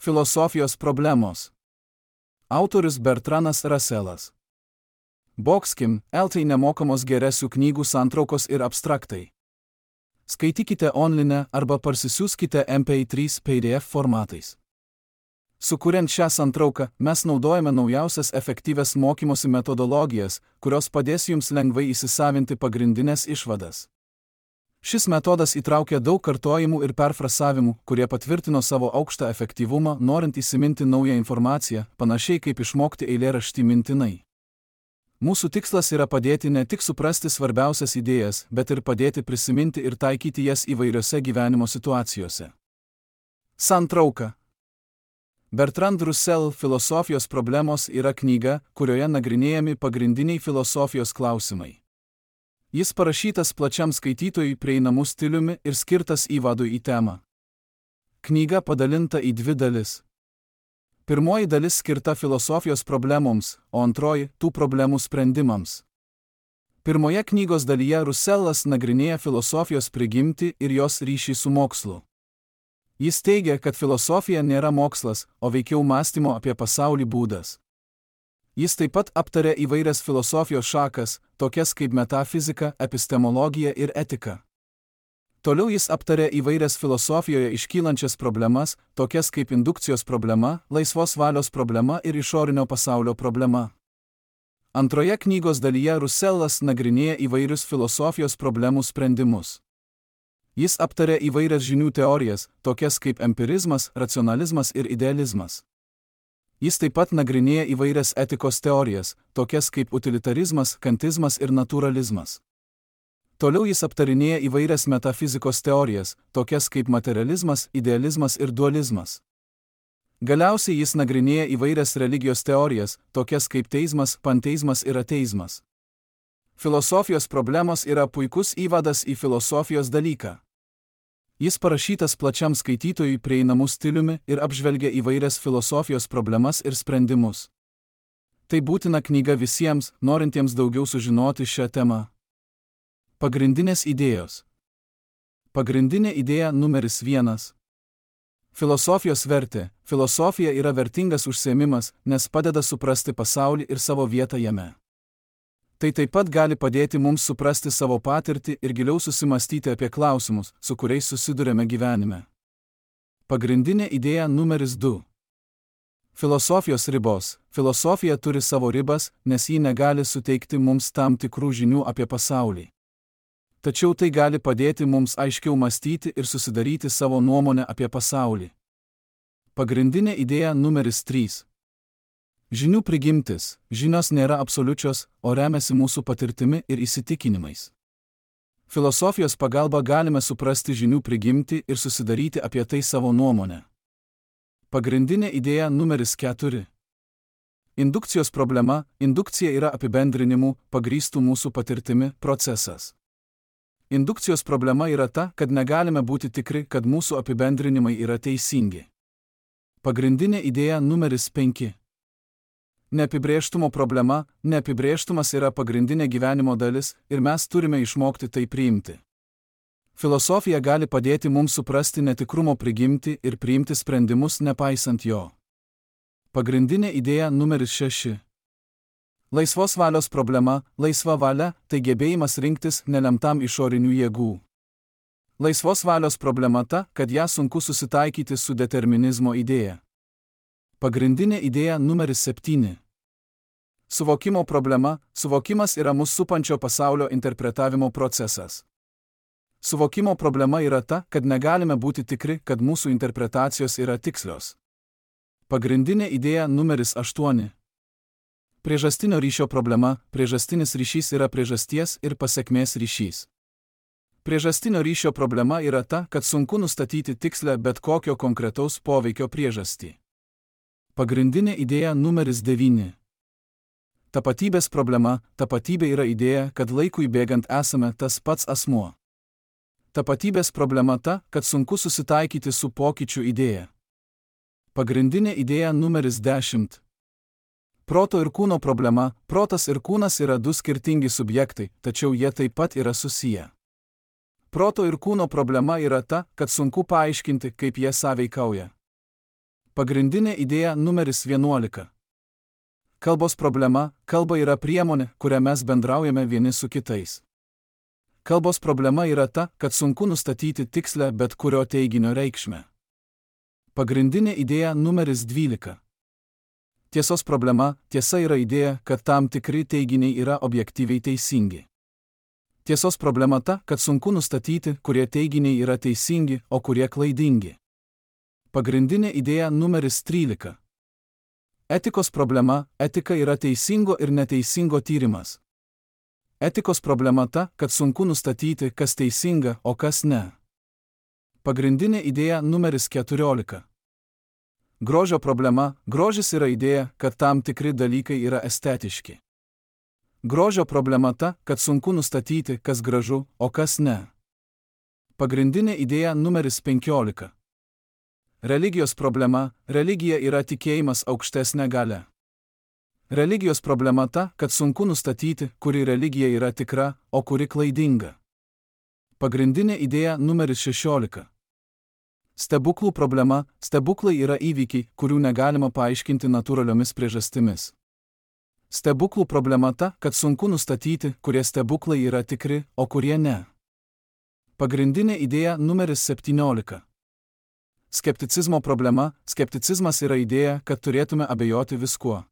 Filosofijos problemos. Autorius Bertranas Russellas. Boxkim, LT nemokamos geresių knygų santraukos ir abstraktai. Skaitykite online arba parsisiųskite MP3 PDF formatais. Sukuriant šią santrauką, mes naudojame naujausias efektyvias mokymosi metodologijas, kurios padės jums lengvai įsisavinti pagrindinės išvadas. Šis metodas įtraukia daug kartojimų ir perfrasavimų, kurie patvirtino savo aukštą efektyvumą, norint įsiminti naują informaciją, panašiai kaip išmokti eilėraštį mintinai. Mūsų tikslas yra padėti ne tik suprasti svarbiausias idėjas, bet ir padėti prisiminti ir taikyti jas įvairiose gyvenimo situacijose. Santrauka. Bertrand Russell Filosofijos problemos yra knyga, kurioje nagrinėjami pagrindiniai filosofijos klausimai. Jis parašytas plačiam skaitytojui prieinamu stiliumi ir skirtas įvadui į temą. Knyga padalinta į dvi dalis. Pirmoji dalis skirta filosofijos problemoms, o antroji – tų problemų sprendimams. Pirmoje knygos dalyje Russellas nagrinėja filosofijos prigimtį ir jos ryšį su mokslu. Jis teigia, kad filosofija nėra mokslas, o veikiau mąstymo apie pasaulį būdas. Jis taip pat aptarė įvairias filosofijos šakas, tokias kaip metafizika, epistemologija ir etika. Toliau jis aptarė įvairias filosofijoje iškylančias problemas, tokias kaip indukcijos problema, laisvos valios problema ir išorinio pasaulio problema. Antroje knygos dalyje Russellas nagrinėja įvairius filosofijos problemų sprendimus. Jis aptarė įvairias žinių teorijas, tokias kaip empirizmas, racionalizmas ir idealizmas. Jis taip pat nagrinėja įvairias etikos teorijas, tokias kaip utilitarizmas, kantizmas ir naturalizmas. Toliau jis aptarinėja įvairias metafizikos teorijas, tokias kaip materializmas, idealizmas ir dualizmas. Galiausiai jis nagrinėja įvairias religijos teorijas, tokias kaip teizmas, panteizmas ir ateizmas. Filosofijos problemos yra puikus įvadas į filosofijos dalyką. Jis parašytas plačiam skaitytojui prieinamu stiliumi ir apžvelgia įvairias filosofijos problemas ir sprendimus. Tai būtina knyga visiems, norintiems daugiau sužinoti šią temą. Pagrindinės idėjos. Pagrindinė idėja numeris 1. Filosofijos vertė. Filosofija yra vertingas užsiėmimas, nes padeda suprasti pasaulį ir savo vietą jame. Tai taip pat gali padėti mums suprasti savo patirtį ir giliau susimastyti apie klausimus, su kuriais susidurėme gyvenime. Pagrindinė idėja numeris 2. Filosofijos ribos. Filosofija turi savo ribas, nes ji negali suteikti mums tam tikrų žinių apie pasaulį. Tačiau tai gali padėti mums aiškiau mąstyti ir susidaryti savo nuomonę apie pasaulį. Pagrindinė idėja numeris 3. Žinių prigimtis. Žinios nėra absoliučios, o remiasi mūsų patirtimi ir įsitikinimais. Filosofijos pagalba galime suprasti žinių prigimtį ir susidaryti apie tai savo nuomonę. Pagrindinė idėja numeris 4. Indukcijos problema. Indukcija yra apibendrinimų, pagrįstų mūsų patirtimi, procesas. Indukcijos problema yra ta, kad negalime būti tikri, kad mūsų apibendrinimai yra teisingi. Pagrindinė idėja numeris 5. Neapibrėžtumo problema. Neapibrėžtumas yra pagrindinė gyvenimo dalis ir mes turime išmokti tai priimti. Filosofija gali padėti mums suprasti netikrumo prigimtį ir priimti sprendimus nepaisant jo. Pagrindinė idėja numeris 6. Laisvos valios problema. Laisva valia – tai gebėjimas rinktis nelemtam išorinių jėgų. Laisvos valios problema ta, kad ją sunku susitaikyti su determinizmo idėja. Pagrindinė idėja numeris 7. Suvokimo problema. Suvokimas yra mus supančio pasaulio interpretavimo procesas. Suvokimo problema yra ta, kad negalime būti tikri, kad mūsų interpretacijos yra tikslios. Pagrindinė idėja numeris 8. Priežastinio ryšio problema. Priežastinis ryšys yra priežasties ir pasekmės ryšys. Priežastinio ryšio problema yra ta, kad sunku nustatyti tikslę bet kokio konkretaus poveikio priežastį. Pagrindinė idėja numeris 9. Tapatybės problema. Tapatybė yra idėja, kad laikui bėgant esame tas pats asmuo. Tapatybės problema ta, kad sunku susitaikyti su pokyčių idėja. Pagrindinė idėja numeris 10. Proto ir kūno problema. Protas ir kūnas yra du skirtingi subjektai, tačiau jie taip pat yra susiję. Proto ir kūno problema yra ta, kad sunku paaiškinti, kaip jie sąveikauja. Pagrindinė idėja numeris 11. Kalbos problema – kalba yra priemonė, kuria mes bendraujame vieni su kitais. Kalbos problema yra ta, kad sunku nustatyti tikslę bet kurio teiginio reikšmę. Pagrindinė idėja numeris 12. Tiesos problema – tiesa yra idėja, kad tam tikri teiginiai yra objektyviai teisingi. Tiesos problema ta, kad sunku nustatyti, kurie teiginiai yra teisingi, o kurie klaidingi. Pagrindinė idėja numeris 13. Etikos problema – etika yra teisingo ir neteisingo tyrimas. Etikos problema ta, kad sunku nustatyti, kas teisinga, o kas ne. Pagrindinė idėja numeris 14. Grožio problema – grožis yra idėja, kad tam tikri dalykai yra estetiški. Grožio problema ta, kad sunku nustatyti, kas gražu, o kas ne. Pagrindinė idėja numeris 15. Religijos problema – religija yra tikėjimas aukštesnė galia. Religijos problema ta, kad sunku nustatyti, kuri religija yra tikra, o kuri klaidinga. Pagrindinė idėja numeris 16. Stebuklų problema – stebuklai yra įvykiai, kurių negalima paaiškinti natūraliomis priežastimis. Stebuklų problema ta, kad sunku nustatyti, kurie stebuklai yra tikri, o kurie ne. Pagrindinė idėja numeris 17. Skepticizmo problema – skepticizmas yra idėja, kad turėtume abejoti viskuo.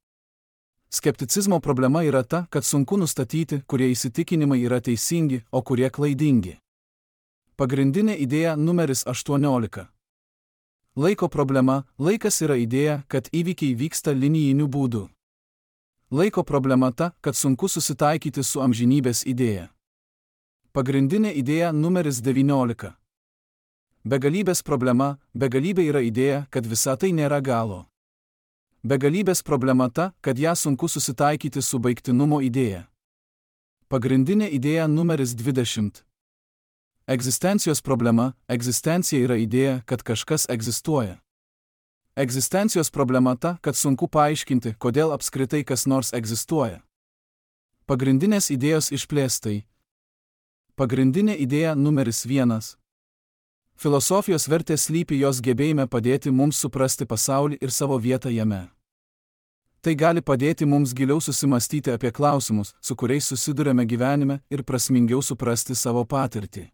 Skepticizmo problema yra ta, kad sunku nustatyti, kurie įsitikinimai yra teisingi, o kurie klaidingi. Pagrindinė idėja numeris 18. Laiko problema – laikas yra idėja, kad įvykiai vyksta linijiniu būdu. Laiko problema ta, kad sunku susitaikyti su amžinybės idėja. Pagrindinė idėja numeris 19. Begalybės problema – begalybė yra idėja, kad visa tai nėra galo. Begalybės problema ta, kad ją sunku susitaikyti su baigtinumo idėja. Pagrindinė idėja numeris 20. Egzistencijos problema – egzistencija yra idėja, kad kažkas egzistuoja. Egzistencijos problema ta, kad sunku paaiškinti, kodėl apskritai kas nors egzistuoja. Pagrindinės idėjos išplėstai. Pagrindinė idėja numeris 1. Filosofijos vertė slypi jos gebėjime padėti mums suprasti pasaulį ir savo vietą jame. Tai gali padėti mums giliau susimastyti apie klausimus, su kuriais susiduriame gyvenime, ir prasmingiau suprasti savo patirtį.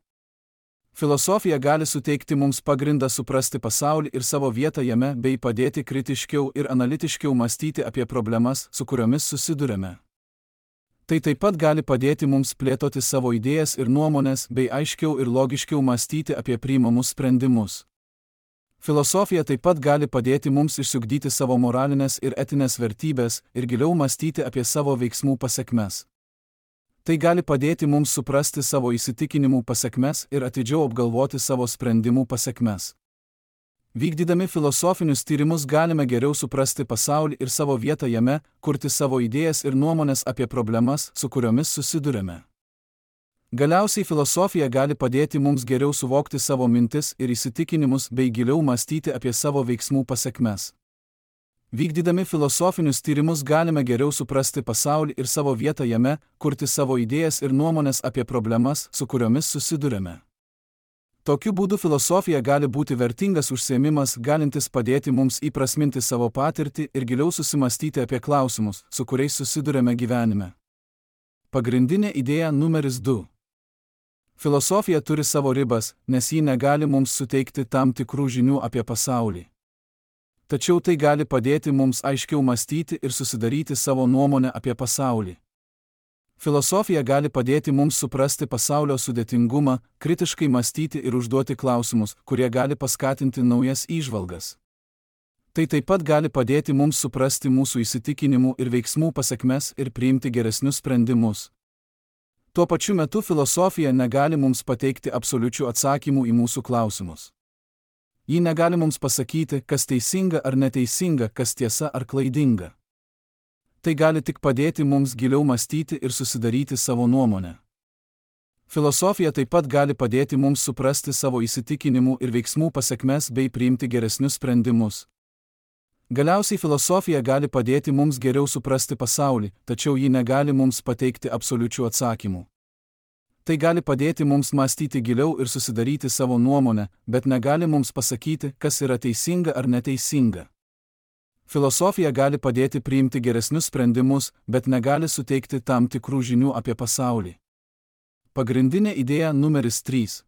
Filosofija gali suteikti mums pagrindą suprasti pasaulį ir savo vietą jame bei padėti kritiškiau ir analitiškiau mąstyti apie problemas, su kuriomis susiduriame. Tai taip pat gali padėti mums plėtoti savo idėjas ir nuomonės bei aiškiau ir logiškiau mąstyti apie priimamus sprendimus. Filosofija taip pat gali padėti mums išsiugdyti savo moralinės ir etinės vertybės ir giliau mąstyti apie savo veiksmų pasekmes. Tai gali padėti mums suprasti savo įsitikinimų pasekmes ir atidžiau apgalvoti savo sprendimų pasekmes. Vykdydami filosofinius tyrimus galime geriau suprasti pasaulį ir savo vietą jame, kurti savo idėjas ir nuomonės apie problemas, su kuriomis susiduriame. Galiausiai filosofija gali padėti mums geriau suvokti savo mintis ir įsitikinimus bei giliau mąstyti apie savo veiksmų pasekmes. Vykdydami filosofinius tyrimus galime geriau suprasti pasaulį ir savo vietą jame, kurti savo idėjas ir nuomonės apie problemas, su kuriomis susiduriame. Tokiu būdu filosofija gali būti vertingas užsiėmimas, galintis padėti mums įprasminti savo patirtį ir giliau susimastyti apie klausimus, su kuriais susiduriame gyvenime. Pagrindinė idėja numeris 2. Filosofija turi savo ribas, nes ji negali mums suteikti tam tikrų žinių apie pasaulį. Tačiau tai gali padėti mums aiškiau mąstyti ir susidaryti savo nuomonę apie pasaulį. Filosofija gali padėti mums suprasti pasaulio sudėtingumą, kritiškai mąstyti ir užduoti klausimus, kurie gali paskatinti naujas įžvalgas. Tai taip pat gali padėti mums suprasti mūsų įsitikinimų ir veiksmų pasekmes ir priimti geresnius sprendimus. Tuo pačiu metu filosofija negali mums pateikti absoliučių atsakymų į mūsų klausimus. Ji negali mums pasakyti, kas teisinga ar neteisinga, kas tiesa ar klaidinga. Tai gali tik padėti mums giliau mąstyti ir susidaryti savo nuomonę. Filosofija taip pat gali padėti mums suprasti savo įsitikinimų ir veiksmų pasekmes bei priimti geresnius sprendimus. Galiausiai filosofija gali padėti mums geriau suprasti pasaulį, tačiau ji negali mums pateikti absoliučių atsakymų. Tai gali padėti mums mąstyti giliau ir susidaryti savo nuomonę, bet negali mums pasakyti, kas yra teisinga ar neteisinga. Filosofija gali padėti priimti geresnius sprendimus, bet negali suteikti tam tikrų žinių apie pasaulį. Pagrindinė idėja numeris 3.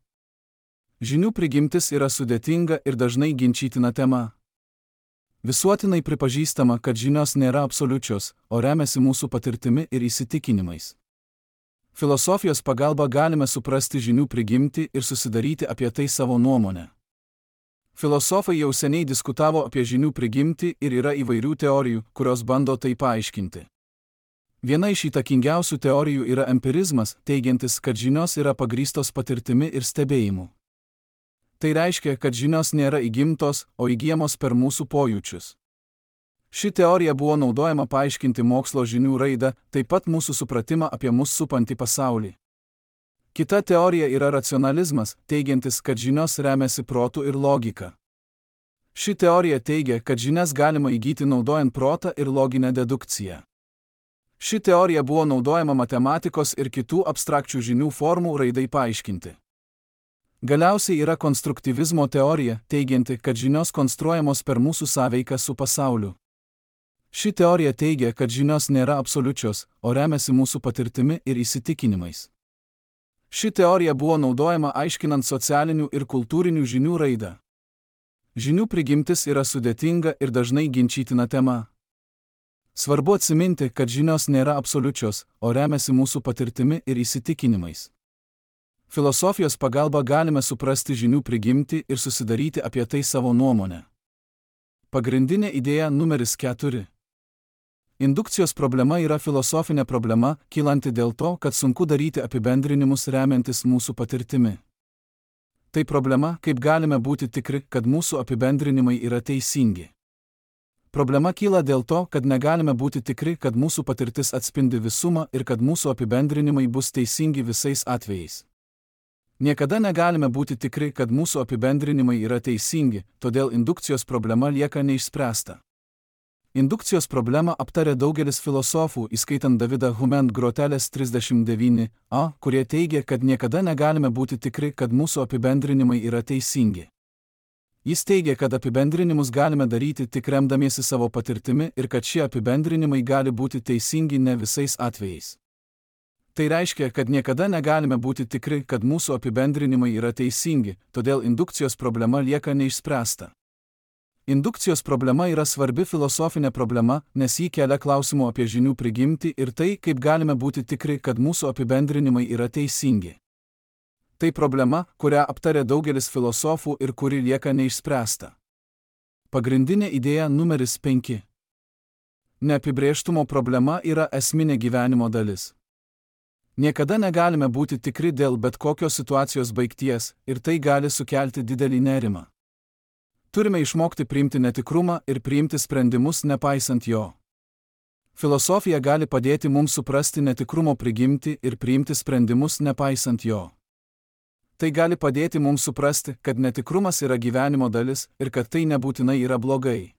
Žinių prigimtis yra sudėtinga ir dažnai ginčytina tema. Visuotinai pripažįstama, kad žinios nėra absoliučios, o remiasi mūsų patirtimi ir įsitikinimais. Filosofijos pagalba galime suprasti žinių prigimtį ir susidaryti apie tai savo nuomonę. Filosofai jau seniai diskutavo apie žinių prigimtį ir yra įvairių teorijų, kurios bando tai paaiškinti. Viena iš įtakingiausių teorijų yra empirizmas, teigiantis, kad žinios yra pagrįstos patirtimi ir stebėjimu. Tai reiškia, kad žinios nėra įgimtos, o įgyjamos per mūsų pojūčius. Ši teorija buvo naudojama paaiškinti mokslo žinių raidą, taip pat mūsų supratimą apie mus supantį pasaulį. Kita teorija yra racionalizmas, teigiantis, kad žinios remiasi protu ir logika. Ši teorija teigia, kad žinias galima įgyti naudojant protą ir loginę dedukciją. Ši teorija buvo naudojama matematikos ir kitų abstrakčių žinių formų raidai paaiškinti. Galiausiai yra konstruktyvizmo teorija, teigianti, kad žinios konstruojamos per mūsų sąveiką su pasauliu. Ši teorija teigia, kad žinios nėra absoliučios, o remiasi mūsų patirtimi ir įsitikinimais. Ši teorija buvo naudojama aiškinant socialinių ir kultūrinių žinių raidą. Žinių prigimtis yra sudėtinga ir dažnai ginčytina tema. Svarbu atsiminti, kad žinios nėra absoliučios, o remiasi mūsų patirtimi ir įsitikinimais. Filosofijos pagalba galime suprasti žinių prigimtį ir susidaryti apie tai savo nuomonę. Pagrindinė idėja numeris 4. Indukcijos problema yra filosofinė problema, kylanti dėl to, kad sunku daryti apibendrinimus remiantis mūsų patirtimi. Tai problema, kaip galime būti tikri, kad mūsų apibendrinimai yra teisingi. Problema kyla dėl to, kad negalime būti tikri, kad mūsų patirtis atspindi visumą ir kad mūsų apibendrinimai bus teisingi visais atvejais. Niekada negalime būti tikri, kad mūsų apibendrinimai yra teisingi, todėl indukcijos problema lieka neišspręsta. Indukcijos problemą aptarė daugelis filosofų, įskaitant Davidą Hume Grotelės 39a, kurie teigia, kad niekada negalime būti tikri, kad mūsų apibendrinimai yra teisingi. Jis teigia, kad apibendrinimus galime daryti tik remdamiesi savo patirtimi ir kad šie apibendrinimai gali būti teisingi ne visais atvejais. Tai reiškia, kad niekada negalime būti tikri, kad mūsų apibendrinimai yra teisingi, todėl indukcijos problema lieka neišspręsta. Indukcijos problema yra svarbi filosofinė problema, nes ji kelia klausimų apie žinių prigimtį ir tai, kaip galime būti tikri, kad mūsų apibendrinimai yra teisingi. Tai problema, kurią aptarė daugelis filosofų ir kuri lieka neišspręsta. Pagrindinė idėja numeris 5. Neapibrėžtumo problema yra esminė gyvenimo dalis. Niekada negalime būti tikri dėl bet kokios situacijos baigties ir tai gali sukelti didelį nerimą. Turime išmokti priimti netikrumą ir priimti sprendimus nepaisant jo. Filosofija gali padėti mums suprasti netikrumo prigimtį ir priimti sprendimus nepaisant jo. Tai gali padėti mums suprasti, kad netikrumas yra gyvenimo dalis ir kad tai nebūtinai yra blogai.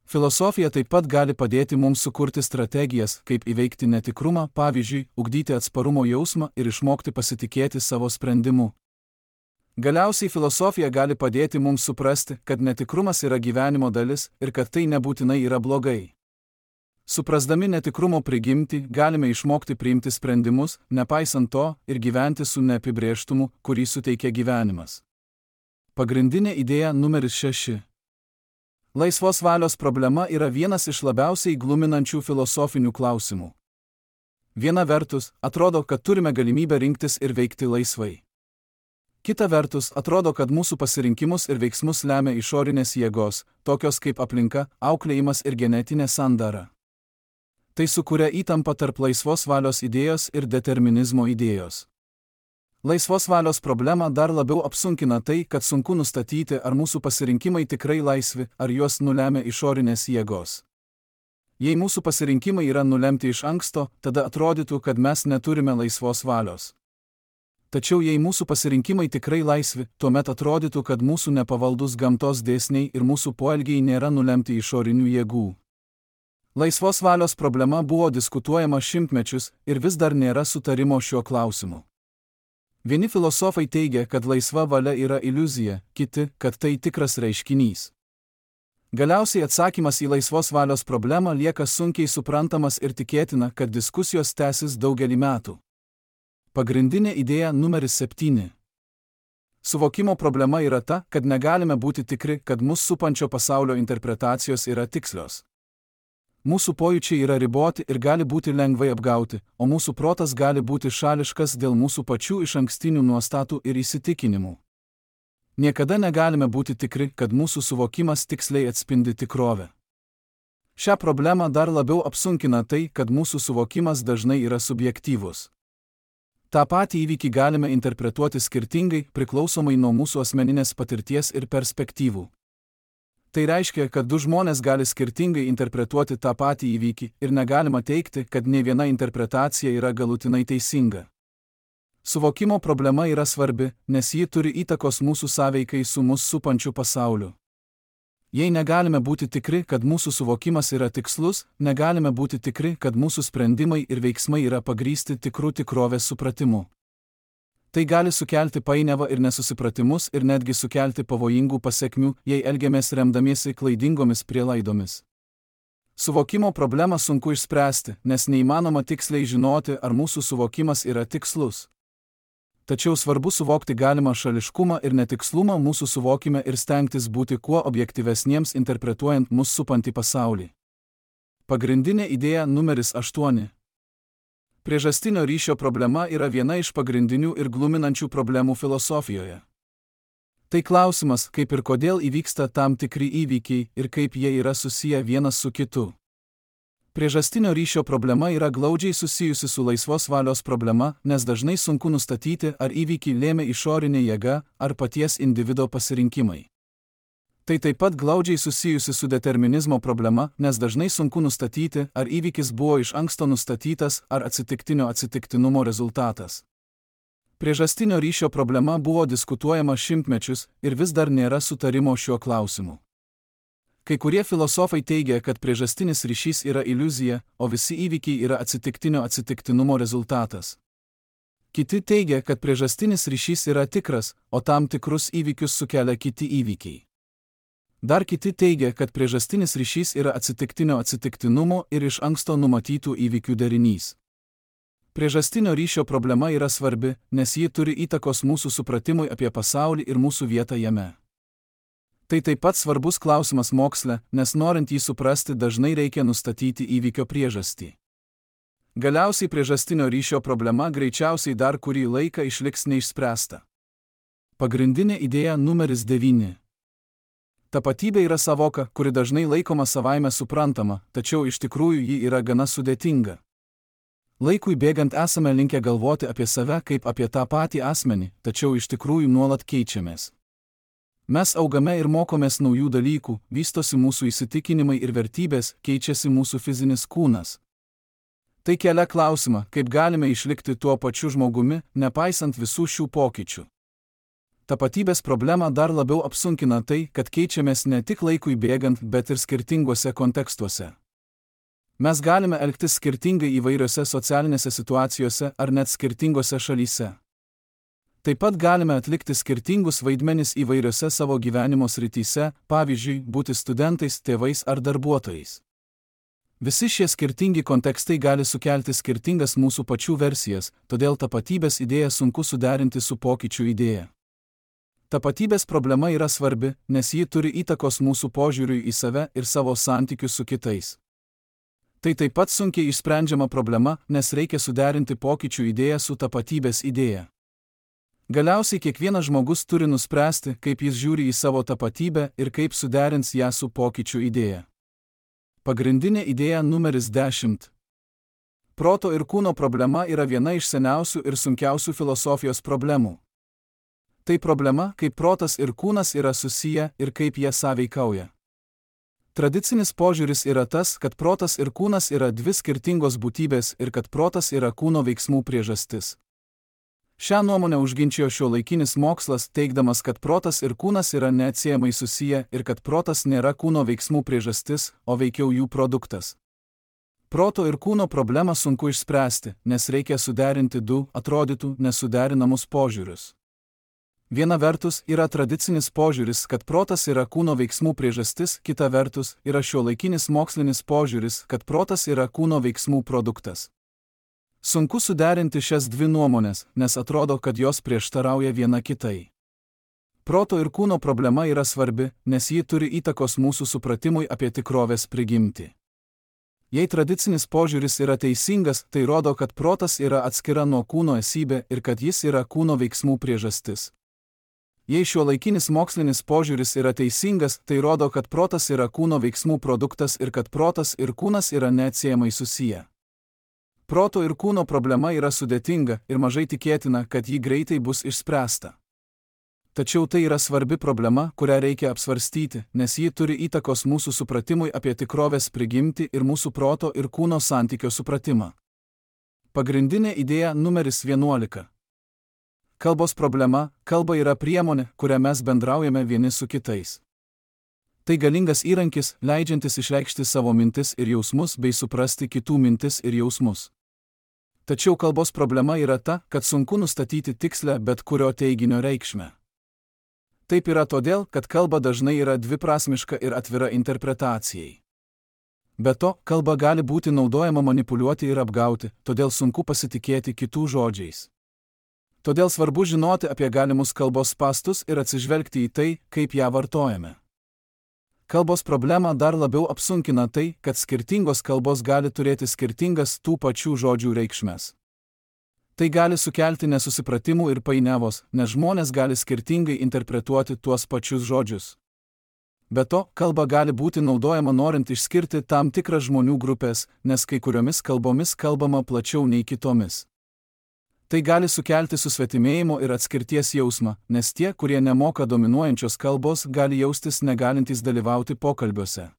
Filosofija taip pat gali padėti mums sukurti strategijas, kaip įveikti netikrumą, pavyzdžiui, ugdyti atsparumo jausmą ir išmokti pasitikėti savo sprendimu. Galiausiai filosofija gali padėti mums suprasti, kad netikrumas yra gyvenimo dalis ir kad tai nebūtinai yra blogai. Suprasdami netikrumo prigimtį, galime išmokti priimti sprendimus, nepaisant to, ir gyventi su neapibrėžtumu, kurį suteikia gyvenimas. Pagrindinė idėja numeris 6. Laisvos valios problema yra vienas iš labiausiai gluminančių filosofinių klausimų. Viena vertus, atrodo, kad turime galimybę rinktis ir veikti laisvai. Kita vertus, atrodo, kad mūsų pasirinkimus ir veiksmus lemia išorinės jėgos, tokios kaip aplinka, auklėjimas ir genetinė sandara. Tai sukuria įtampą tarp laisvos valios idėjos ir determinizmo idėjos. Laisvos valios problemą dar labiau apsunkina tai, kad sunku nustatyti, ar mūsų pasirinkimai tikrai laisvi, ar juos nulemia išorinės jėgos. Jei mūsų pasirinkimai yra nulemti iš anksto, tada atrodytų, kad mes neturime laisvos valios. Tačiau jei mūsų pasirinkimai tikrai laisvi, tuomet atrodytų, kad mūsų nepavaldus gamtos dėsniai ir mūsų poelgiai nėra nulemti išorinių jėgų. Laisvos valios problema buvo diskutuojama šimtmečius ir vis dar nėra sutarimo šiuo klausimu. Vieni filosofai teigia, kad laisva valia yra iliuzija, kiti, kad tai tikras reiškinys. Galiausiai atsakymas į laisvos valios problemą lieka sunkiai suprantamas ir tikėtina, kad diskusijos tęsis daugelį metų. Pagrindinė idėja numeris 7. Suvokimo problema yra ta, kad negalime būti tikri, kad mus supančio pasaulio interpretacijos yra tikslios. Mūsų pojūčiai yra riboti ir gali būti lengvai apgauti, o mūsų protas gali būti šališkas dėl mūsų pačių išankstinių nuostatų ir įsitikinimų. Niekada negalime būti tikri, kad mūsų suvokimas tiksliai atspindi tikrovę. Šią problemą dar labiau apsunkina tai, kad mūsų suvokimas dažnai yra subjektyvus. Ta patį įvykį galime interpretuoti skirtingai, priklausomai nuo mūsų asmeninės patirties ir perspektyvų. Tai reiškia, kad du žmonės gali skirtingai interpretuoti tą patį įvykį ir negalima teigti, kad nė viena interpretacija yra galutinai teisinga. Suvokimo problema yra svarbi, nes ji turi įtakos mūsų sąveikai su mus supančiu pasauliu. Jei negalime būti tikri, kad mūsų suvokimas yra tikslus, negalime būti tikri, kad mūsų sprendimai ir veiksmai yra pagrįsti tikrų tikrovės supratimu. Tai gali sukelti painiavą ir nesusipratimus ir netgi sukelti pavojingų pasekmių, jei elgiamės remdamiesi klaidingomis prielaidomis. Suvokimo problemą sunku išspręsti, nes neįmanoma tiksliai žinoti, ar mūsų suvokimas yra tikslus. Tačiau svarbu suvokti galimą šališkumą ir netikslumą mūsų suvokime ir stengtis būti kuo objektyvesniems interpretuojant mus supantį pasaulį. Pagrindinė idėja numeris 8. Priežastinio ryšio problema yra viena iš pagrindinių ir gluminančių problemų filosofijoje. Tai klausimas, kaip ir kodėl įvyksta tam tikri įvykiai ir kaip jie yra susiję vienas su kitu. Priežastinio ryšio problema yra glaudžiai susijusi su laisvos valios problema, nes dažnai sunku nustatyti, ar įvykį lėmė išorinė jėga ar paties individo pasirinkimai. Tai taip pat glaudžiai susijusi su determinizmo problema, nes dažnai sunku nustatyti, ar įvykis buvo iš anksto nustatytas ar atsitiktinumo rezultatas. Priežastinio ryšio problema buvo diskutuojama šimtmečius ir vis dar nėra sutarimo šiuo klausimu. Kai kurie filosofai teigia, kad priežastinis ryšys yra iliuzija, o visi įvykiai yra atsitiktinumo rezultatas. Kiti teigia, kad priežastinis ryšys yra tikras, o tam tikrus įvykius sukelia kiti įvykiai. Dar kiti teigia, kad priežastinis ryšys yra atsitiktinumo ir iš anksto numatytų įvykių derinys. Priežastinio ryšio problema yra svarbi, nes ji turi įtakos mūsų supratimui apie pasaulį ir mūsų vietą jame. Tai taip pat svarbus klausimas moksle, nes norint jį suprasti dažnai reikia nustatyti įvykio priežastį. Galiausiai priežastinio ryšio problema greičiausiai dar kurį laiką išliks neišspręsta. Pagrindinė idėja numeris 9. Tapatybė yra savoka, kuri dažnai laikoma savaime suprantama, tačiau iš tikrųjų ji yra gana sudėtinga. Laikui bėgant esame linkę galvoti apie save kaip apie tą patį asmenį, tačiau iš tikrųjų nuolat keičiamės. Mes augame ir mokomės naujų dalykų, vystosi mūsų įsitikinimai ir vertybės, keičiasi mūsų fizinis kūnas. Tai kelia klausimą, kaip galime išlikti tuo pačiu žmogumi, nepaisant visų šių pokyčių. Tapatybės problemą dar labiau apsunkina tai, kad keičiamės ne tik laikui bėgant, bet ir skirtinguose kontekstuose. Mes galime elgtis skirtingai įvairiose socialinėse situacijose ar net skirtingose šalyse. Taip pat galime atlikti skirtingus vaidmenis įvairiose savo gyvenimo srityse, pavyzdžiui, būti studentais, tėvais ar darbuotojais. Visi šie skirtingi kontekstai gali sukelti skirtingas mūsų pačių versijas, todėl tapatybės idėją sunku suderinti su pokyčių idėja. Tapatybės problema yra svarbi, nes ji turi įtakos mūsų požiūriui į save ir savo santykius su kitais. Tai taip pat sunkiai išsprendžiama problema, nes reikia suderinti pokyčių idėją su tapatybės idėja. Galiausiai kiekvienas žmogus turi nuspręsti, kaip jis žiūri į savo tapatybę ir kaip suderins ją su pokyčių idėja. Pagrindinė idėja numeris 10. Proto ir kūno problema yra viena iš seniausių ir sunkiausių filosofijos problemų. Tai problema, kaip protas ir kūnas yra susiję ir kaip jie sąveikauja. Tradicinis požiūris yra tas, kad protas ir kūnas yra dvi skirtingos būtybės ir kad protas yra kūno veiksmų priežastis. Šią nuomonę užginčijo šiuolaikinis mokslas, teigdamas, kad protas ir kūnas yra neatsiejamai susiję ir kad protas nėra kūno veiksmų priežastis, o veikiau jų produktas. Proto ir kūno problemą sunku išspręsti, nes reikia suderinti du, atrodytų, nesuderinamus požiūrius. Viena vertus yra tradicinis požiūris, kad protas yra kūno veiksmų priežastis, kita vertus yra šiuolaikinis mokslinis požiūris, kad protas yra kūno veiksmų produktas. Sunku suderinti šias dvi nuomonės, nes atrodo, kad jos prieštarauja viena kitai. Proto ir kūno problema yra svarbi, nes ji turi įtakos mūsų supratimui apie tikrovės prigimtį. Jei tradicinis požiūris yra teisingas, tai rodo, kad protas yra atskira nuo kūno esybė ir kad jis yra kūno veiksmų priežastis. Jei šiuolaikinis mokslinis požiūris yra teisingas, tai rodo, kad protas yra kūno veiksmų produktas ir kad protas ir kūnas yra neatsiejamai susiję. Proto ir kūno problema yra sudėtinga ir mažai tikėtina, kad ji greitai bus išspręsta. Tačiau tai yra svarbi problema, kurią reikia apsvarstyti, nes ji turi įtakos mūsų supratimui apie tikrovės prigimtį ir mūsų proto ir kūno santykio supratimą. Pagrindinė idėja numeris 11. Kalbos problema – kalba yra priemonė, kuria mes bendraujame vieni su kitais. Tai galingas įrankis, leidžiantis išreikšti savo mintis ir jausmus bei suprasti kitų mintis ir jausmus. Tačiau kalbos problema yra ta, kad sunku nustatyti tikslę bet kurio teiginio reikšmę. Taip yra todėl, kad kalba dažnai yra dviprasmiška ir atvira interpretacijai. Be to, kalba gali būti naudojama manipuliuoti ir apgauti, todėl sunku pasitikėti kitų žodžiais. Todėl svarbu žinoti apie galimus kalbos spąstus ir atsižvelgti į tai, kaip ją vartojame. Kalbos problemą dar labiau apsunkina tai, kad skirtingos kalbos gali turėti skirtingas tų pačių žodžių reikšmes. Tai gali sukelti nesusipratimų ir painiavos, nes žmonės gali skirtingai interpretuoti tuos pačius žodžius. Be to, kalba gali būti naudojama norint išskirti tam tikras žmonių grupės, nes kai kuriomis kalbomis kalbama plačiau nei kitomis. Tai gali sukelti susvetimėjimo ir atskirties jausmą, nes tie, kurie nemoka dominuojančios kalbos, gali jaustis negalintys dalyvauti pokalbiuose.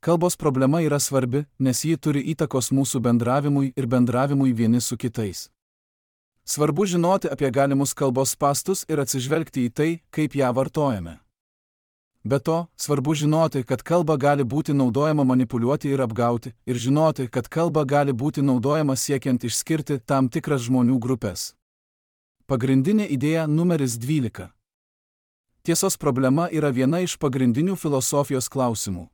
Kalbos problema yra svarbi, nes ji turi įtakos mūsų bendravimui ir bendravimui vieni su kitais. Svarbu žinoti apie galimus kalbos spąstus ir atsižvelgti į tai, kaip ją vartojame. Be to, svarbu žinoti, kad kalba gali būti naudojama manipuliuoti ir apgauti, ir žinoti, kad kalba gali būti naudojama siekiant išskirti tam tikras žmonių grupės. Pagrindinė idėja numeris 12. Tiesos problema yra viena iš pagrindinių filosofijos klausimų.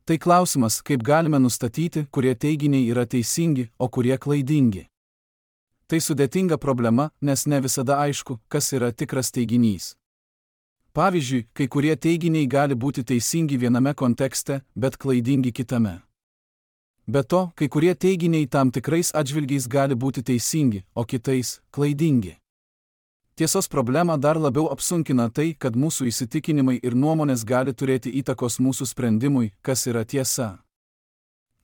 Tai klausimas, kaip galime nustatyti, kurie teiginiai yra teisingi, o kurie klaidingi. Tai sudėtinga problema, nes ne visada aišku, kas yra tikras teiginys. Pavyzdžiui, kai kurie teiginiai gali būti teisingi viename kontekste, bet klaidingi kitame. Be to, kai kurie teiginiai tam tikrais atžvilgiais gali būti teisingi, o kitais – klaidingi. Tiesos problema dar labiau apsunkina tai, kad mūsų įsitikinimai ir nuomonės gali turėti įtakos mūsų sprendimui, kas yra tiesa.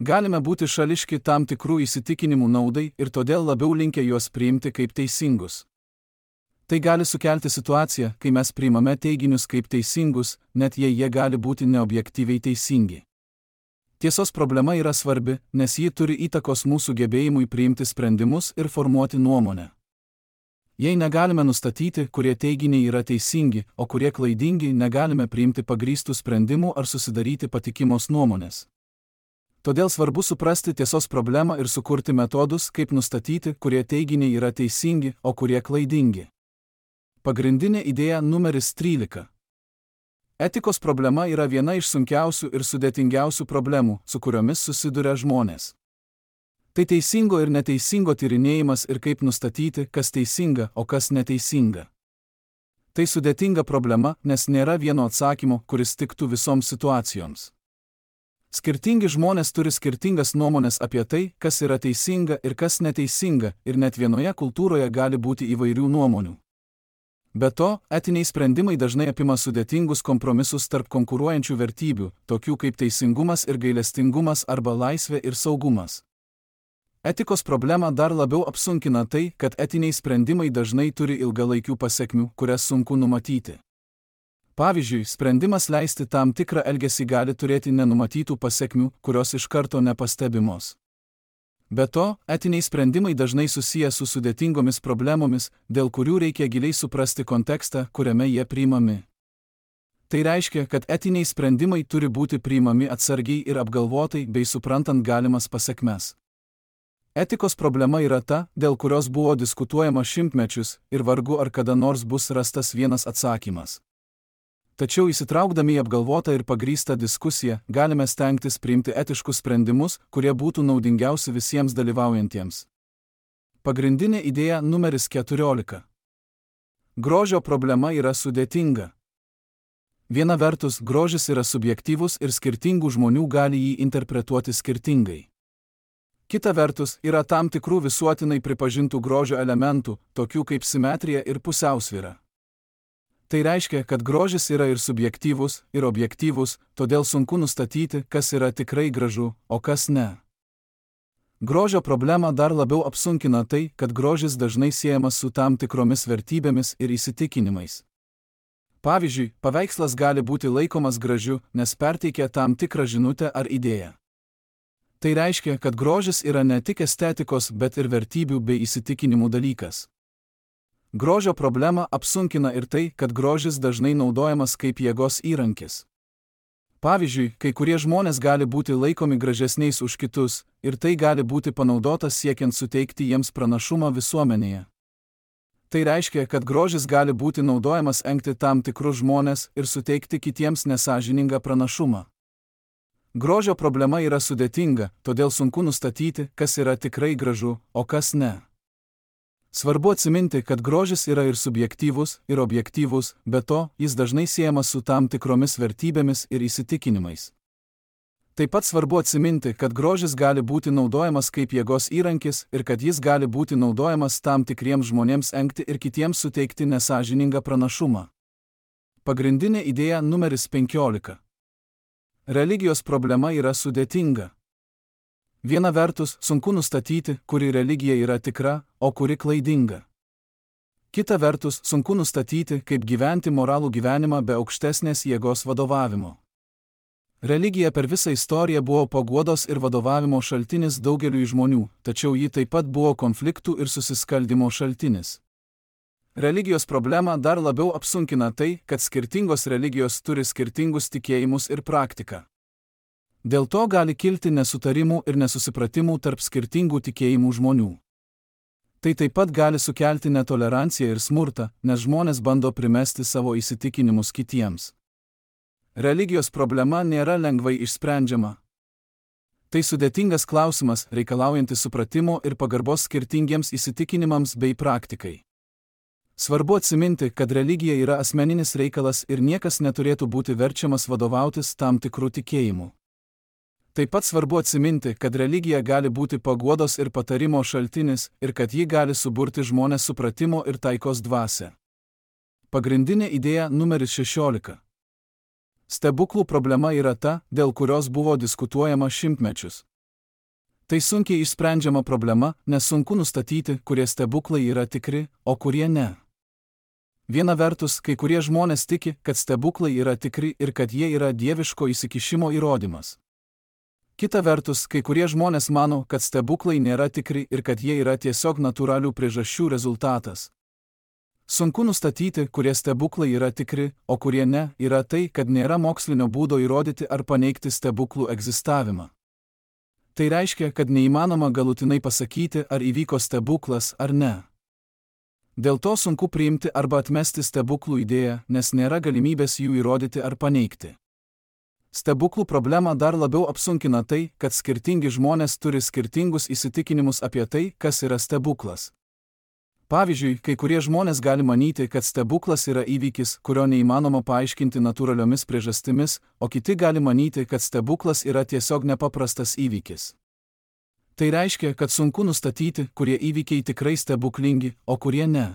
Galime būti šališki tam tikrų įsitikinimų naudai ir todėl labiau linkę juos priimti kaip teisingus. Tai gali sukelti situaciją, kai mes priimame teiginius kaip teisingus, net jei jie gali būti neobjektyviai teisingi. Tiesos problema yra svarbi, nes ji turi įtakos mūsų gebėjimui priimti sprendimus ir formuoti nuomonę. Jei negalime nustatyti, kurie teiginiai yra teisingi, o kurie klaidingi, negalime priimti pagrįstų sprendimų ar susidaryti patikimos nuomonės. Todėl svarbu suprasti tiesos problemą ir sukurti metodus, kaip nustatyti, kurie teiginiai yra teisingi, o kurie klaidingi. Pagrindinė idėja numeris 13. Etikos problema yra viena iš sunkiausių ir sudėtingiausių problemų, su kuriomis susiduria žmonės. Tai teisingo ir neteisingo tyrinėjimas ir kaip nustatyti, kas teisinga, o kas neteisinga. Tai sudėtinga problema, nes nėra vieno atsakymo, kuris tiktų visoms situacijoms. Skirtingi žmonės turi skirtingas nuomonės apie tai, kas yra teisinga ir kas neteisinga, ir net vienoje kultūroje gali būti įvairių nuomonių. Be to, etiniai sprendimai dažnai apima sudėtingus kompromisus tarp konkuruojančių vertybių, tokių kaip teisingumas ir gailestingumas arba laisvė ir saugumas. Etikos problemą dar labiau apsunkina tai, kad etiniai sprendimai dažnai turi ilgalaikių pasekmių, kurias sunku numatyti. Pavyzdžiui, sprendimas leisti tam tikrą elgesį gali turėti nenumatytų pasekmių, kurios iš karto nepastebimos. Be to, etiniai sprendimai dažnai susiję su sudėtingomis problemomis, dėl kurių reikia giliai suprasti kontekstą, kuriame jie priimami. Tai reiškia, kad etiniai sprendimai turi būti priimami atsargiai ir apgalvotai bei suprantant galimas pasekmes. Etikos problema yra ta, dėl kurios buvo diskutuojama šimtmečius ir vargu ar kada nors bus rastas vienas atsakymas. Tačiau įsitraukdami į apgalvotą ir pagrįstą diskusiją, galime stengtis priimti etiškus sprendimus, kurie būtų naudingiausi visiems dalyvaujantiems. Pagrindinė idėja numeris 14. Grožio problema yra sudėtinga. Viena vertus, grožis yra subjektyvus ir skirtingų žmonių gali jį interpretuoti skirtingai. Kita vertus, yra tam tikrų visuotinai pripažintų grožio elementų, tokių kaip simetrija ir pusiausvyra. Tai reiškia, kad grožis yra ir subjektyvus, ir objektyvus, todėl sunku nustatyti, kas yra tikrai gražu, o kas ne. Grožio problemą dar labiau apsunkina tai, kad grožis dažnai siejamas su tam tikromis vertybėmis ir įsitikinimais. Pavyzdžiui, paveikslas gali būti laikomas gražiu, nes perteikia tam tikrą žinutę ar idėją. Tai reiškia, kad grožis yra ne tik estetikos, bet ir vertybių bei įsitikinimų dalykas. Grožio problemą apsunkina ir tai, kad grožis dažnai naudojamas kaip jėgos įrankis. Pavyzdžiui, kai kurie žmonės gali būti laikomi gražesniais už kitus, ir tai gali būti panaudotas siekiant suteikti jiems pranašumą visuomenėje. Tai reiškia, kad grožis gali būti naudojamas engti tam tikrus žmones ir suteikti kitiems nesąžiningą pranašumą. Grožio problema yra sudėtinga, todėl sunku nustatyti, kas yra tikrai gražu, o kas ne. Svarbu atsiminti, kad grožis yra ir subjektyvus, ir objektyvus, be to, jis dažnai siejamas su tam tikromis vertybėmis ir įsitikinimais. Taip pat svarbu atsiminti, kad grožis gali būti naudojamas kaip jėgos įrankis ir kad jis gali būti naudojamas tam tikriems žmonėms engti ir kitiems suteikti nesąžiningą pranašumą. Pagrindinė idėja numeris 15. Religijos problema yra sudėtinga. Viena vertus, sunku nustatyti, kuri religija yra tikra, o kuri klaidinga. Kita vertus, sunku nustatyti, kaip gyventi moralų gyvenimą be aukštesnės jėgos vadovavimo. Religija per visą istoriją buvo paguodos ir vadovavimo šaltinis daugeliui žmonių, tačiau ji taip pat buvo konfliktų ir susiskaldimo šaltinis. Religijos problemą dar labiau apsunkina tai, kad skirtingos religijos turi skirtingus tikėjimus ir praktiką. Dėl to gali kilti nesutarimų ir nesusipratimų tarp skirtingų tikėjimų žmonių. Tai taip pat gali sukelti netoleranciją ir smurtą, nes žmonės bando primesti savo įsitikinimus kitiems. Religijos problema nėra lengvai išsprendžiama. Tai sudėtingas klausimas, reikalaujantis supratimo ir pagarbos skirtingiems įsitikinimams bei praktikai. Svarbu atsiminti, kad religija yra asmeninis reikalas ir niekas neturėtų būti verčiamas vadovautis tam tikrų tikėjimų. Taip pat svarbu atsiminti, kad religija gali būti paguodos ir patarimo šaltinis ir kad ji gali suburti žmonės supratimo ir taikos dvasią. Pagrindinė idėja numeris 16. Stebuklų problema yra ta, dėl kurios buvo diskutuojama šimtmečius. Tai sunkiai išsprendžiama problema, nes sunku nustatyti, kurie stebuklai yra tikri, o kurie ne. Viena vertus, kai kurie žmonės tiki, kad stebuklai yra tikri ir kad jie yra dieviško įsikišimo įrodymas. Kita vertus, kai kurie žmonės mano, kad stebuklai nėra tikri ir kad jie yra tiesiog natūralių priežasčių rezultatas. Sunku nustatyti, kurie stebuklai yra tikri, o kurie ne, yra tai, kad nėra mokslinio būdo įrodyti ar paneigti stebuklų egzistavimą. Tai reiškia, kad neįmanoma galutinai pasakyti, ar įvyko stebuklas ar ne. Dėl to sunku priimti arba atmesti stebuklų idėją, nes nėra galimybės jų įrodyti ar paneigti. Stebuklų problemą dar labiau apsunkina tai, kad skirtingi žmonės turi skirtingus įsitikinimus apie tai, kas yra stebuklas. Pavyzdžiui, kai kurie žmonės gali manyti, kad stebuklas yra įvykis, kurio neįmanoma paaiškinti natūraliomis priežastimis, o kiti gali manyti, kad stebuklas yra tiesiog nepaprastas įvykis. Tai reiškia, kad sunku nustatyti, kurie įvykiai tikrai stebuklingi, o kurie ne.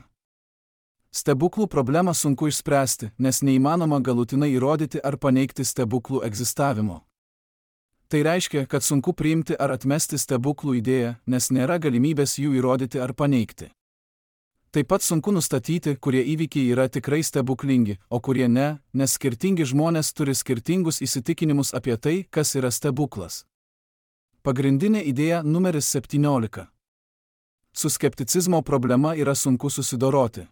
Stebuklų problemą sunku išspręsti, nes neįmanoma galutinai įrodyti ar paneigti stebuklų egzistavimo. Tai reiškia, kad sunku priimti ar atmesti stebuklų idėją, nes nėra galimybės jų įrodyti ar paneigti. Taip pat sunku nustatyti, kurie įvykiai yra tikrai stebuklingi, o kurie ne, nes skirtingi žmonės turi skirtingus įsitikinimus apie tai, kas yra stebuklas. Pagrindinė idėja numeris 17. Su skepticizmo problema yra sunku susidoroti.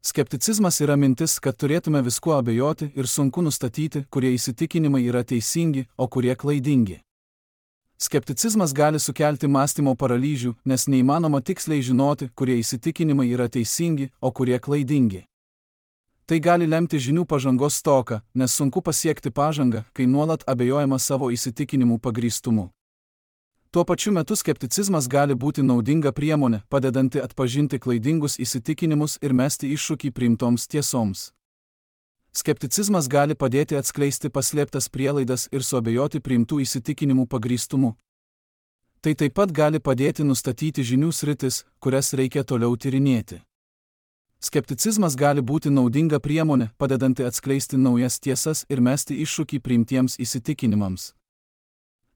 Skepticizmas yra mintis, kad turėtume viskuo abejoti ir sunku nustatyti, kurie įsitikinimai yra teisingi, o kurie klaidingi. Skepticizmas gali sukelti mąstymo paralyžių, nes neįmanoma tiksliai žinoti, kurie įsitikinimai yra teisingi, o kurie klaidingi. Tai gali lemti žinių pažangos stoką, nes sunku pasiekti pažangą, kai nuolat abejojama savo įsitikinimų pagrįstumu. Tuo pačiu metu skepticizmas gali būti naudinga priemonė, padedanti atpažinti klaidingus įsitikinimus ir mesti iššūkį priimtoms tiesoms. Skepticizmas gali padėti atskleisti paslėptas prielaidas ir suabejoti priimtų įsitikinimų pagrįstumu. Tai taip pat gali padėti nustatyti žinių sritis, kurias reikia toliau tyrinėti. Skepticizmas gali būti naudinga priemonė, padedanti atskleisti naujas tiesas ir mesti iššūkį priimtiems įsitikinimams.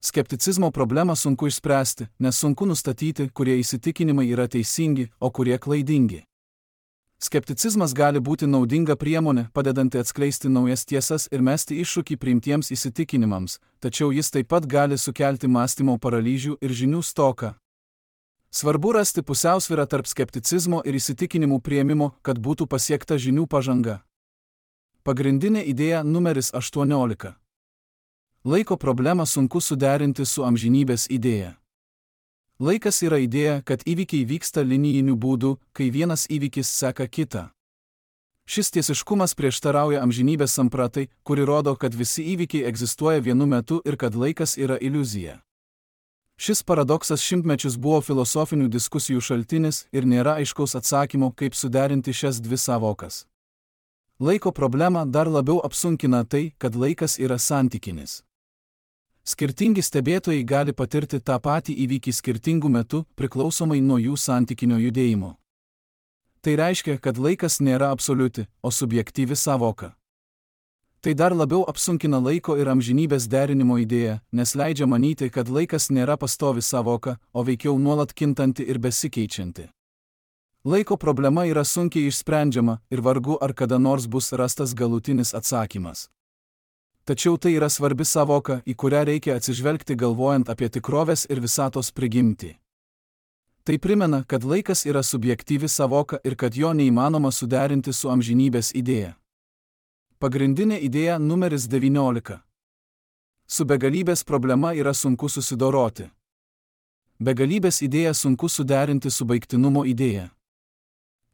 Skepticizmo problemą sunku išspręsti, nes sunku nustatyti, kurie įsitikinimai yra teisingi, o kurie klaidingi. Skepticizmas gali būti naudinga priemonė, padedanti atskleisti naujas tiesas ir mesti iššūkį priimtiems įsitikinimams, tačiau jis taip pat gali sukelti mąstymo paralyžių ir žinių stoką. Svarbu rasti pusiausvyrą tarp skepticizmo ir įsitikinimų priėmimo, kad būtų pasiekta žinių pažanga. Pagrindinė idėja numeris 18. Laiko problemą sunku suderinti su amžinybės idėja. Laikas yra idėja, kad įvykiai vyksta linijiniu būdu, kai vienas įvykis seka kitą. Šis tiesiškumas prieštarauja amžinybės sampratai, kuri rodo, kad visi įvykiai egzistuoja vienu metu ir kad laikas yra iliuzija. Šis paradoksas šimtmečius buvo filosofinių diskusijų šaltinis ir nėra aiškaus atsakymo, kaip suderinti šias dvi sąvokas. Laiko problemą dar labiau apsunkina tai, kad laikas yra santykinis. Skirtingi stebėtojai gali patirti tą patį įvykį skirtingų metų, priklausomai nuo jų santykinio judėjimo. Tai reiškia, kad laikas nėra absoliuti, o subjektyvi sąvoka. Tai dar labiau apsunkina laiko ir amžinybės derinimo idėją, nes leidžia manyti, kad laikas nėra pastovi sąvoka, o veikiau nuolat kintanti ir besikeičianti. Laiko problema yra sunkiai išsprendžiama ir vargu ar kada nors bus rastas galutinis atsakymas. Tačiau tai yra svarbi sąvoka, į kurią reikia atsižvelgti galvojant apie tikrovės ir visatos prigimtį. Tai primena, kad laikas yra subjektyvi sąvoka ir kad jo neįmanoma suderinti su amžinybės idėja. Pagrindinė idėja numeris 19. Su begalybės problema yra sunku susidoroti. Begalybės idėją sunku suderinti su baigtinumo idėja.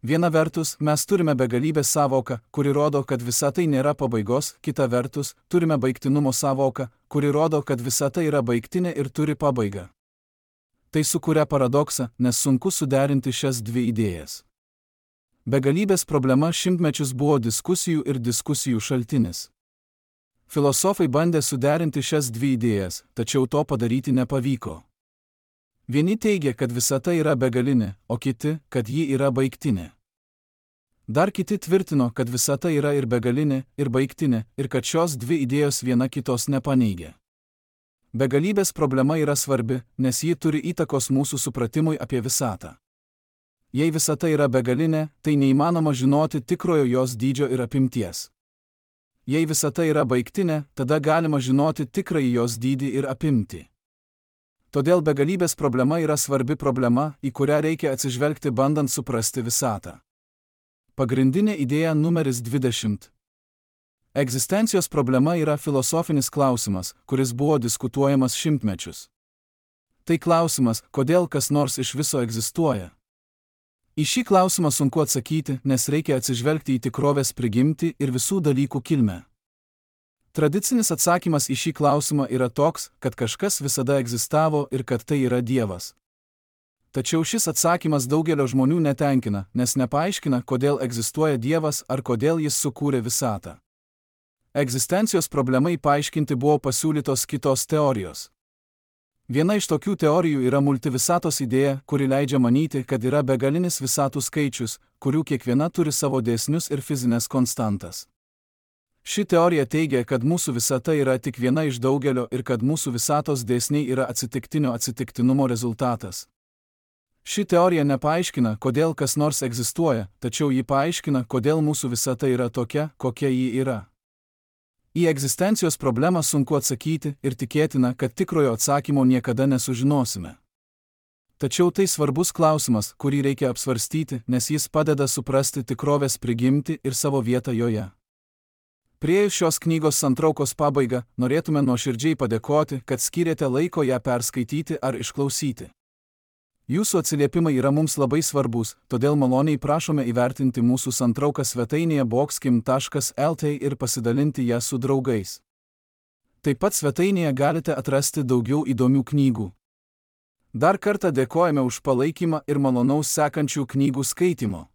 Viena vertus, mes turime begalybės sąvoką, kuri rodo, kad visa tai nėra pabaigos, kita vertus, turime baigtinumo sąvoką, kuri rodo, kad visa tai yra baigtinė ir turi pabaigą. Tai sukuria paradoksą, nes sunku suderinti šias dvi idėjas. Begalybės problema šimtmečius buvo diskusijų ir diskusijų šaltinis. Filosofai bandė suderinti šias dvi idėjas, tačiau to padaryti nepavyko. Vieni teigia, kad visata yra begalinė, o kiti, kad ji yra baigtinė. Dar kiti tvirtino, kad visata yra ir begalinė, ir baigtinė, ir kad šios dvi idėjos viena kitos nepaneigia. Begalybės problema yra svarbi, nes ji turi įtakos mūsų supratimui apie visatą. Jei visata yra begalinė, tai neįmanoma žinoti tikrojo jos dydžio ir apimties. Jei visata yra baigtinė, tada galima žinoti tikrąjį jos dydį ir apimtį. Todėl begalybės problema yra svarbi problema, į kurią reikia atsižvelgti bandant suprasti visatą. Pagrindinė idėja numeris 20. Egzistencijos problema yra filosofinis klausimas, kuris buvo diskutuojamas šimtmečius. Tai klausimas, kodėl kas nors iš viso egzistuoja. Į šį klausimą sunku atsakyti, nes reikia atsižvelgti į tikrovės prigimtį ir visų dalykų kilmę. Tradicinis atsakymas į šį klausimą yra toks, kad kažkas visada egzistavo ir kad tai yra Dievas. Tačiau šis atsakymas daugelio žmonių netenkina, nes nepaaiškina, kodėl egzistuoja Dievas ar kodėl jis sukūrė visatą. Egzistencijos problemai paaiškinti buvo pasiūlytos kitos teorijos. Viena iš tokių teorijų yra multivisatos idėja, kuri leidžia manyti, kad yra begalinis visatų skaičius, kurių kiekviena turi savo dėsnius ir fizinės konstantas. Ši teorija teigia, kad mūsų visata yra tik viena iš daugelio ir kad mūsų visatos dėsniai yra atsitiktinio atsitiktinumo rezultatas. Ši teorija nepaaiškina, kodėl kas nors egzistuoja, tačiau ji paaiškina, kodėl mūsų visata yra tokia, kokia ji yra. Į egzistencijos problemą sunku atsakyti ir tikėtina, kad tikrojo atsakymo niekada nesužinosime. Tačiau tai svarbus klausimas, kurį reikia apsvarstyti, nes jis padeda suprasti tikrovės prigimtį ir savo vietą joje. Priėjus šios knygos santraukos pabaigą, norėtume nuoširdžiai padėkoti, kad skyrėte laiko ją perskaityti ar išklausyti. Jūsų atsiliepimai yra mums labai svarbus, todėl maloniai prašome įvertinti mūsų santrauką svetainėje boxkim.lt ir pasidalinti ją su draugais. Taip pat svetainėje galite atrasti daugiau įdomių knygų. Dar kartą dėkojame už palaikymą ir malonaus sekančių knygų skaitimo.